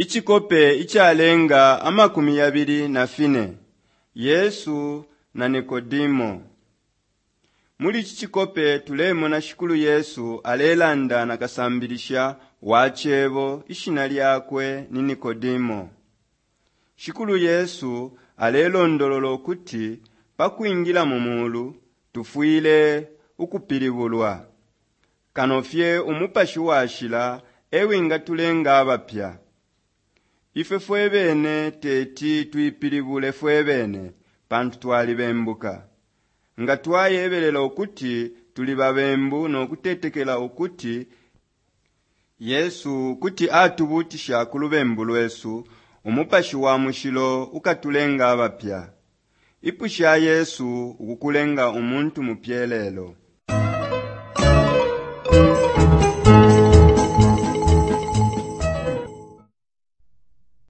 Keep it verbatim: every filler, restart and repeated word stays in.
Icikope icalenga amakumi yabili na fine Yesu na Nikodimo. Muli ici cikope tulemona Shikulu Yesu alelanda na kasambilisha wa cebo ishina lyakwe ni Nikodimo. Shikulu Yesu alelondolola ukuti pa kwingila mu mulu tufwile ukupilibulwa. Kano fye Umupashi Washila e wingatulenga abapya. Ifwe fwe bene teti tuipilibule fwe bene pantu twalibembuka. Nga twayebelela ukuti tuli babembu no kutetekela ukuti Yesu kuti atubuutisha ku lubembu lwesu, Umupashi wa Mushilo ukatulenga abapya. Ipusha Yesu ukukulenga umuntu mupya lelo.